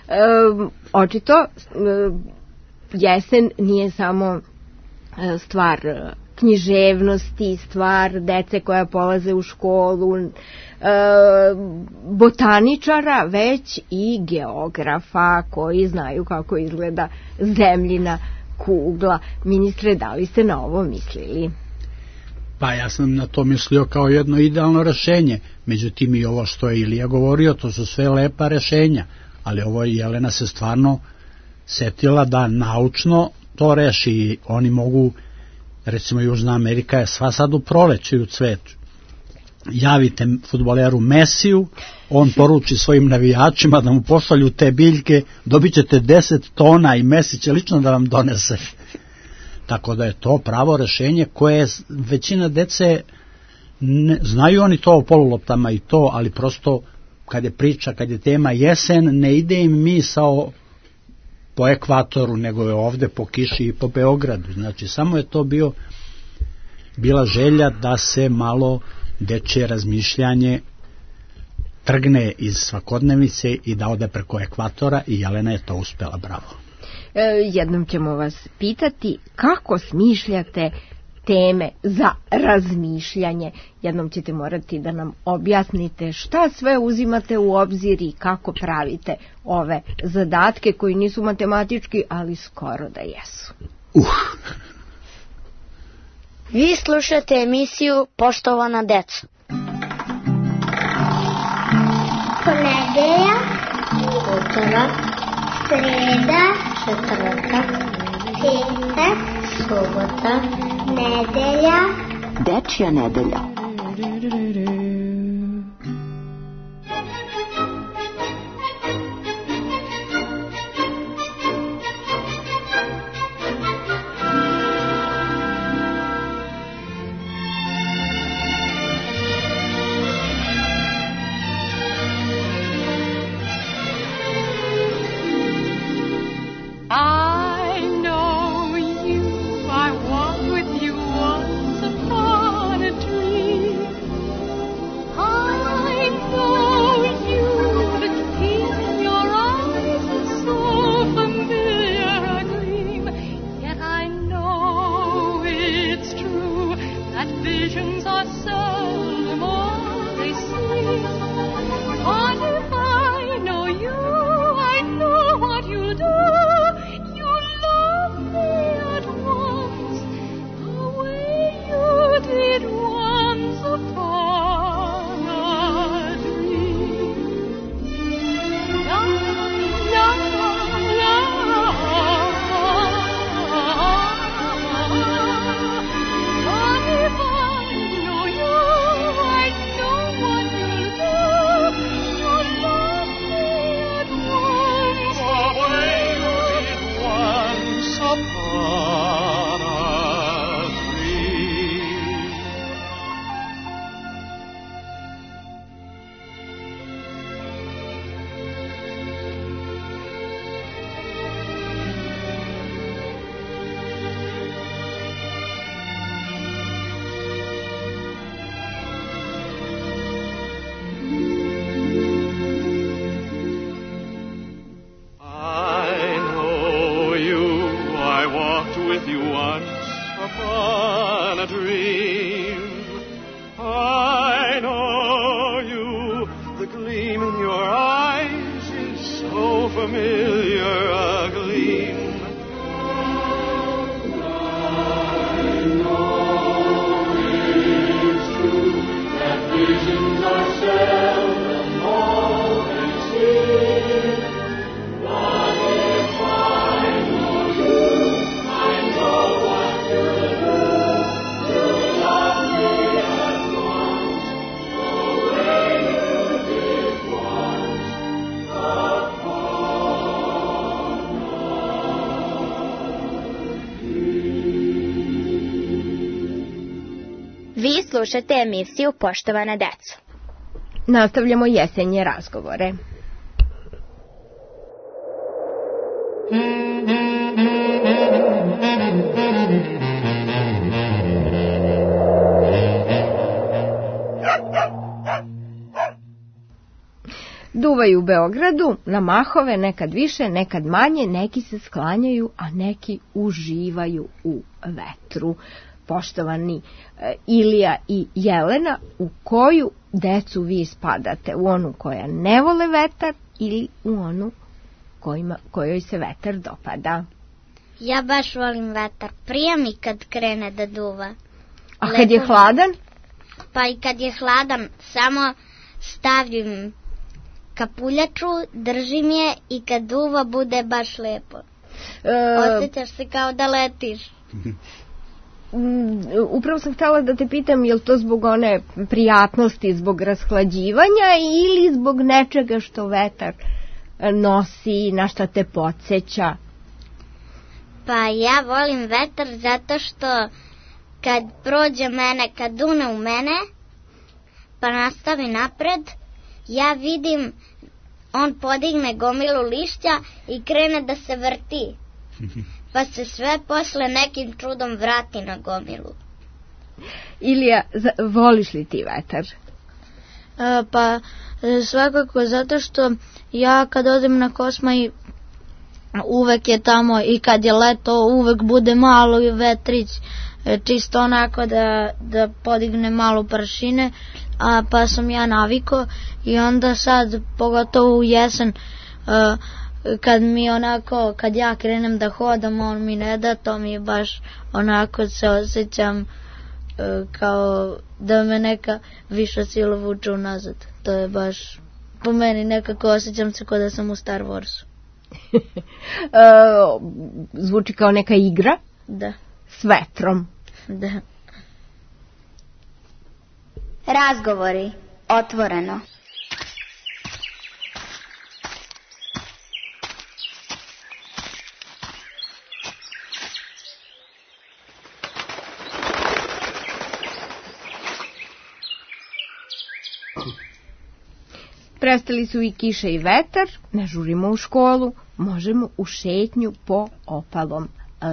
[SPEAKER 4] E, očito, e, jesen nije samo e, stvar književnosti, stvar dece koja polaze u školu, e, botaničara, već i geografa koji znaju kako izgleda zemljina kugla. Ministre, da li ste na ovo mislili?
[SPEAKER 6] Pa ja sam na to mislio kao jedno idealno rešenje. Međutim, i ovo što je Ilija govorio, to su sve lepa rešenja. Ali ovo Jelena se stvarno setila da naučno to reši, oni mogu, recimo Južna Amerika je sva sad u proleću i u cvetu. Javite fudbaleru Mesiju, on poruči svojim navijačima da mu pošalju te biljke, dobit ćete deset tona i Mesi će lično da vam donese. Tako da je to pravo rešenje koje većina dece, ne, znaju oni to o poluloptama i to, ali prosto kad je priča, kad je tema jesen, ne ide im misao po ekvatoru, nego je ovde po kiši i po Beogradu. Znači, samo je to bio, bila želja da se malo dečje razmišljanje trgne iz svakodnevice i da ode preko ekvatora i Jelena je to uspela, bravo.
[SPEAKER 4] E, jednom ćemo vas pitati kako smišljate teme za razmišljanje. Jednom ćete morati da nam objasnite šta sve uzimate u obzir i kako pravite ove zadatke koji nisu matematički, ali skoro da jesu.
[SPEAKER 6] Uh.
[SPEAKER 3] Vi slušate emisiju Poštovana deco.
[SPEAKER 2] Ponedeljak, utorak, sreda, četvrtak, petak, subota, nedelja,
[SPEAKER 12] Dečja nedelja.
[SPEAKER 1] Vi slušate emisiju Poštovana deco.
[SPEAKER 4] Nastavljamo jesenje razgovore. Duvaju u Beogradu, na mahove, nekad više, nekad manje, neki se sklanjaju, a neki uživaju u vetru. Poštovani e, Ilija i Jelena, u koju decu vi spadate? U onu koja ne vole vetar ili u onu kojima, kojoj se vetar dopada?
[SPEAKER 7] Ja baš volim vetar. Prija mi kad krene da duva.
[SPEAKER 4] A kad je hladan?
[SPEAKER 7] Pa i kad je hladan, samo stavim kapuljaču, držim je i kad duva bude baš lepo. E, Osjećaš se kao da letiš.
[SPEAKER 4] Upravo sam htjela da te pitam, je li to zbog one prijatnosti, zbog rashlađivanja ili zbog nečega što vetar nosi, na šta te podsjeća?
[SPEAKER 2] Pa ja volim vetar zato što kad prođe mene, kad dune u mene, pa nastavi napred, ja vidim, on podigne gomilu lišća i krene da se vrti. Pa se sve posle nekim čudom vrati na gomilu.
[SPEAKER 4] Ilija, voliš li ti vetar?
[SPEAKER 7] E, pa svakako zato što ja kad odem na Kosmaj uvek je tamo i kad je leto uvek bude malo vetrić, čisto onako da, da podigne malo prašine, a pa sam ja naviko i onda sad pogotovo u jesen uh, kad mi onako, kad ja krenem da hodam, on mi ne da, to mi je baš onako se osjećam uh, kao da me neka viša sila vuče unazad. To je baš po meni nekako osjećam se kao da sam u Star Warsu.
[SPEAKER 4] uh, zvuči kao neka igra?
[SPEAKER 7] Da.
[SPEAKER 4] S vetrom?
[SPEAKER 7] Da.
[SPEAKER 1] Razgovori. Otvoreno.
[SPEAKER 4] Prestali su i kiša i vetar, ne žurimo u školu, možemo u šetnju po opalom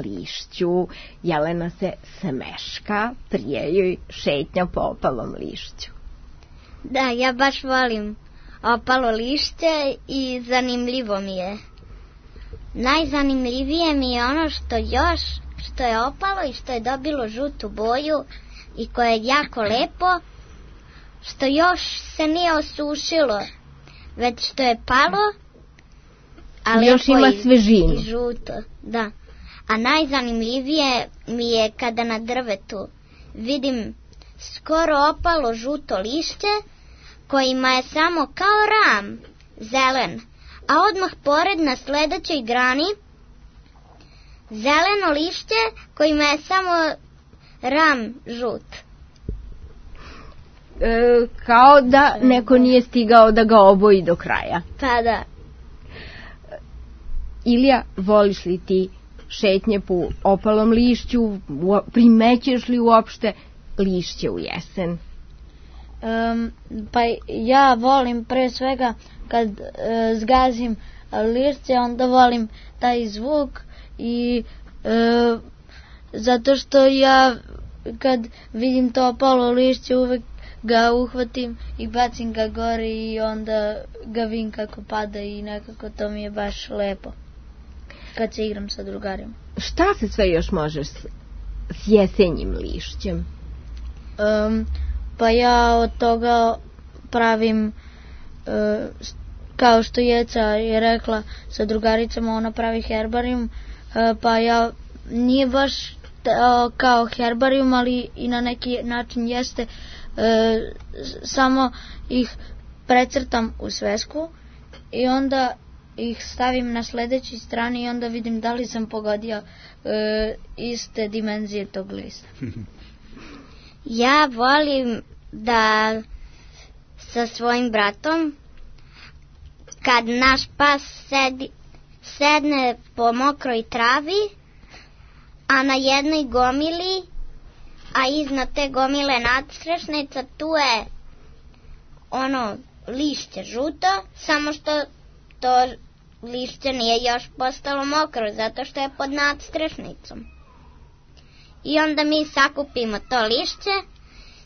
[SPEAKER 4] lišću. Jelena se smeška, prije joj šetnja po opalom lišću.
[SPEAKER 2] Da, ja baš volim opalo lišće i zanimljivo mi je. Najzanimljivije mi je ono što još, što je opalo i što je dobilo žutu boju i koje je jako lepo, što još se nije osušilo, već što je palo, a
[SPEAKER 4] još ima
[SPEAKER 2] i,
[SPEAKER 4] svežinu.
[SPEAKER 2] I žuto, da. A najzanimljivije mi je kada na drvetu vidim skoro opalo žuto lišće kojima je samo kao ram zelen, a odmah pored na sledećoj grani zeleno lišće kojima je samo ram žut.
[SPEAKER 4] E, kao da neko nije stigao da ga oboji do kraja.
[SPEAKER 2] Pa da.
[SPEAKER 4] Ilija, voliš li ti šetnje po opalom lišću? Primećeš li uopšte lišće u jesen?
[SPEAKER 7] Um, pa ja volim pre svega kad uh, zgazim lišće, onda volim taj zvuk i uh, zato što ja kad vidim to opalo lišće uvek ga uhvatim i bacim ga gore i onda ga vidim kako pada i nekako to mi je baš lepo kad se igram sa drugarima.
[SPEAKER 4] Šta se sve još može s, s jesenjim lišćem?
[SPEAKER 7] Um, pa ja od toga pravim uh, kao što Jeca je rekla sa drugaricama, ona pravi herbarijum, uh, pa ja nije baš uh, kao herbarijum, ali i na neki način jeste, uh, samo ih precrtam u svesku i onda ih stavim na sledećoj strani i onda vidim da li sam pogodio uh, iste dimenzije tog lista.
[SPEAKER 2] Ja volim da sa svojim bratom, kad naš pas sedi, sedne po mokroj travi, a na jednoj gomili, a iznad te gomile nadstrešnica, tu je ono lišće žuto, samo što to lišće nije još postalo mokro, zato što je pod nadstrešnicom. I onda mi sakupimo to lišće,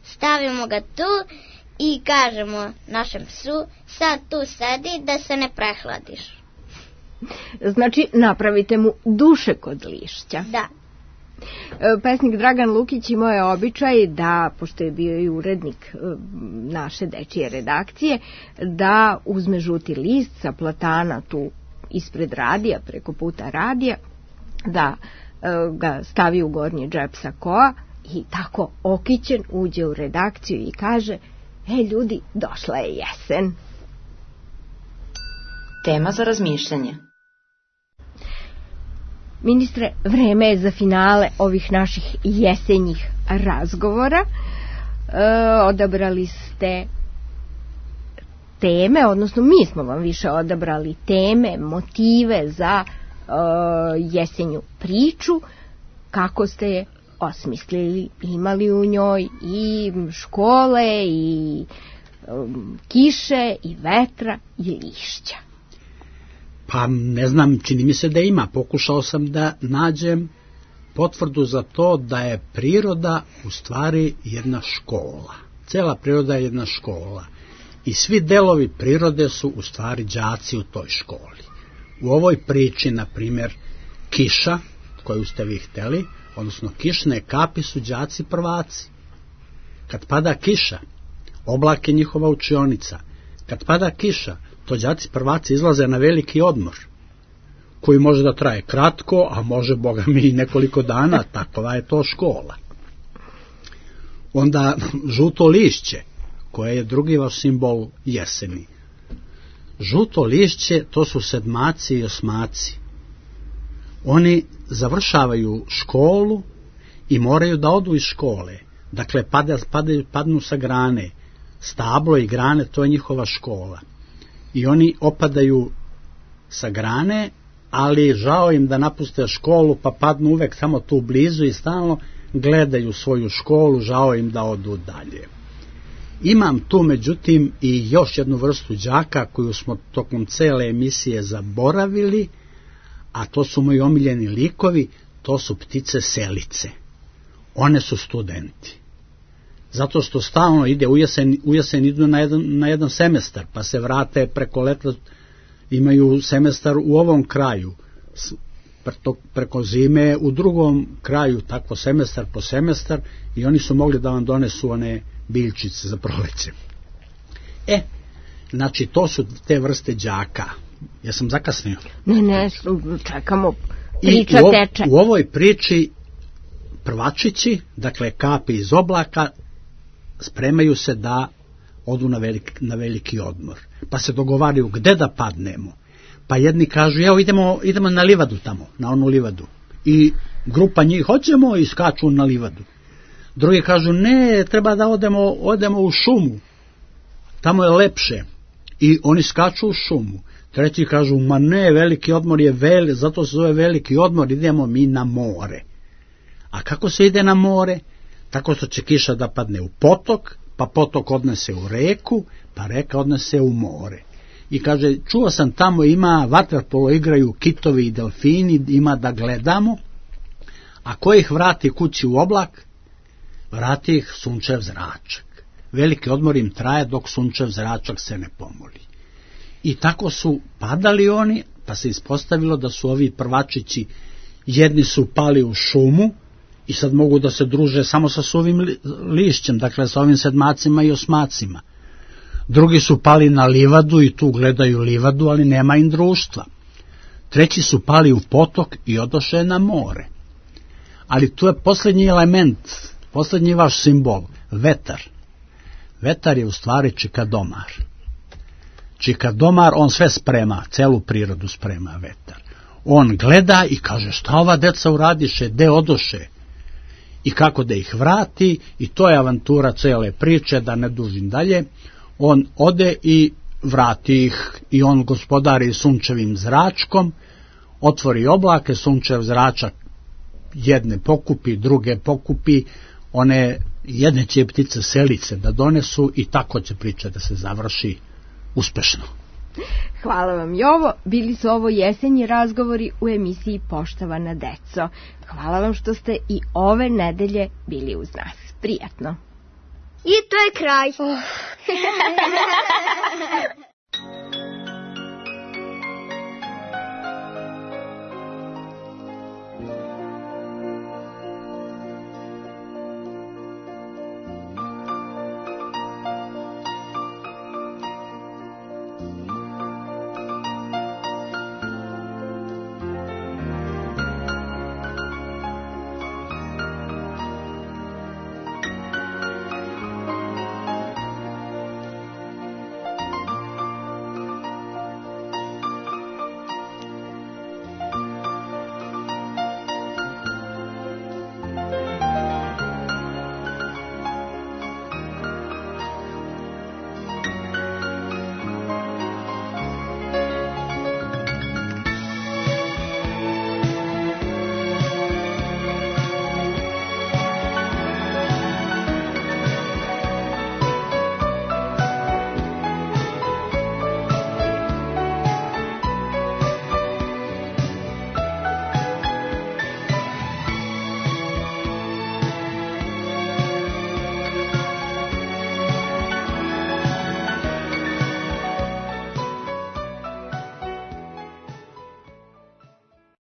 [SPEAKER 2] stavimo ga tu i kažemo našem psu, sad tu sedi da se ne prehladiš.
[SPEAKER 4] Znači, napravite mu duše kod lišća.
[SPEAKER 2] Da.
[SPEAKER 4] Pesnik Dragan Lukić imao je običaj da, pošto je bio i urednik naše dečije redakcije, da uzme žuti list sa platana tu ispred radija, preko puta radija, da ga stavi u gornji džep sakoa i tako okićen uđe u redakciju i kaže: e ljudi, došla je jesen.
[SPEAKER 5] Tema za razmišljanje.
[SPEAKER 4] Ministre, vreme je za finale ovih naših jesenjih razgovora. E, odabrali ste teme, odnosno mi smo vam više odabrali teme, motive za e, jesenju priču. Kako ste je osmislili? Imali u njoj i škole, i um, kiše, i vetra, i lišća?
[SPEAKER 6] Pa ne znam, čini mi se da ima. Pokušao sam da nađem potvrdu za to da je priroda u stvari jedna škola. Cela priroda je jedna škola. I svi delovi prirode su u stvari đaci u toj školi. U ovoj priči, na primjer, kiša, koju ste vi hteli, odnosno kišne kapi su đaci prvaci. Kad pada kiša, oblak je njihova učionica. Kad pada kiša, to đaci prvaci izlaze na veliki odmor, koji može da traje kratko, a može, boga mi, i nekoliko dana, takova je to škola. Onda žuto lišće, koje je drugi vaš simbol jeseni. Žuto lišće, to su sedmaci i osmaci. Oni završavaju školu i moraju da odu iz škole. Dakle, pada, padaju, padnu sa grane. Stablo i grane, to je njihova škola. I oni opadaju sa grane, ali žao im da napuste školu, pa padnu uvek samo tu blizu i stalno gledaju svoju školu, žao im da odu dalje. Imam tu, međutim, i još jednu vrstu đaka koju smo tokom cele emisije zaboravili, a to su moji omiljeni likovi, to su ptice selice. One su studenti. Zato što stalno ide, u jesen, u jesen idu na jedan, na jedan semestar, pa se vrate preko leta, imaju semestar u ovom kraju, preko zime u drugom kraju, tako semestar po semestar, i oni su mogli da vam donesu one biljčice za proleće. E, znači to su te vrste đaka. Ja sam zakasnio?
[SPEAKER 4] Ne, ne, čekamo, priča
[SPEAKER 6] I u,
[SPEAKER 4] teče.
[SPEAKER 6] U ovoj priči prvačići, dakle kapi iz oblaka, spremaju se da odu na veliki, na veliki odmor. Pa se dogovaraju gde da padnemo. Pa jedni kažu, evo idemo, idemo na livadu tamo, na onu livadu. I grupa njih, hoćemo, i skaču na livadu. Drugi kažu, ne, treba da odemo, odemo u šumu, tamo je lepše. I oni skaču u šumu. Treći kažu, ma ne, veliki odmor je vel, zato se zove veliki odmor, idemo mi na more. A kako se ide na more? Tako što će kiša da padne u potok, pa potok odnese u reku, pa reka odnese u more. I kaže, čuo sam tamo ima vaterpolo igraju kitovi i delfini, ima da gledamo, a ko ih vrati kući u oblak? Vrati ih sunčev zračak. Veliki odmor im traje dok sunčev zračak se ne pomoli. I tako su padali oni, pa se ispostavilo da su ovi prvačići, jedni su pali u šumu i sad mogu da se druže samo sa suvim li, lišćem, dakle sa ovim sedmacima i osmacima. Drugi su pali na livadu i tu gledaju livadu, ali nema im društva. Treći su pali u potok i odoše na more. Ali tu je posljednji element, posljednji vaš simbol, vetar. Vetar je u stvari čikadomar. Čikadomar, on sve sprema, celu prirodu sprema vetar. On gleda i kaže, šta ova deca uradiše, gde odoše? I kako da ih vrati, i to je avantura cele priče, da ne dužim dalje. On ode i vrati ih, i on gospodari sunčevim zračkom, otvori oblake, sunčev zračak jedne pokupi, druge pokupi, one jedne će ptice selice da donesu, i tako će priča da se završi uspešno.
[SPEAKER 4] Hvala vam, Jovo. Bili su ovo jesenji razgovori u emisiji Poštovana deco. Hvala vam što ste i ove nedelje bili uz nas. Prijatno.
[SPEAKER 2] I to je kraj.